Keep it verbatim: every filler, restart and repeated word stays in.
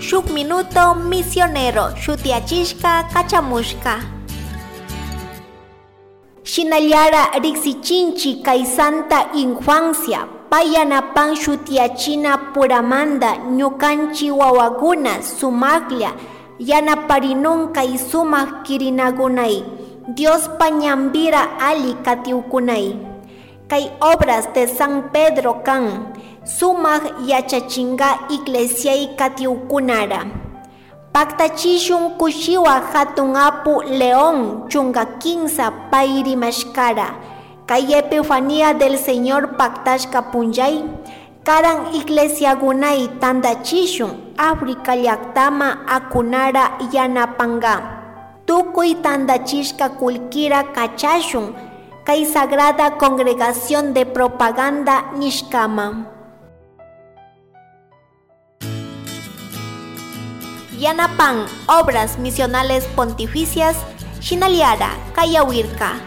Shuk minuto misionero shutiyachishka kachamushka. Shinallara riksichinchi kay Santa Infancia, pay yanapan shutiyachina puramanda ñukanchi wawakuna sumaklla yanaparinon kay sumak kirinakunay, Diospa ñanbira alli katiukunay. Kay Obras de San Pedro kan sumak yachachinka iglesiay katiukunara. Paktachishun kushiwa hatun apu León chunka kinsa pay rimashkara. Kay Epifanía del Señor paktashka punllay, karan iglesiakunay tandachishun África llaktama akunara yanapanka. Tukuy tandachishka kullkira kachashun kay Sagrada Congregación de Propaganda nishkama. Yanapan Obras Misionales Pontificias, shinallara kayawirka.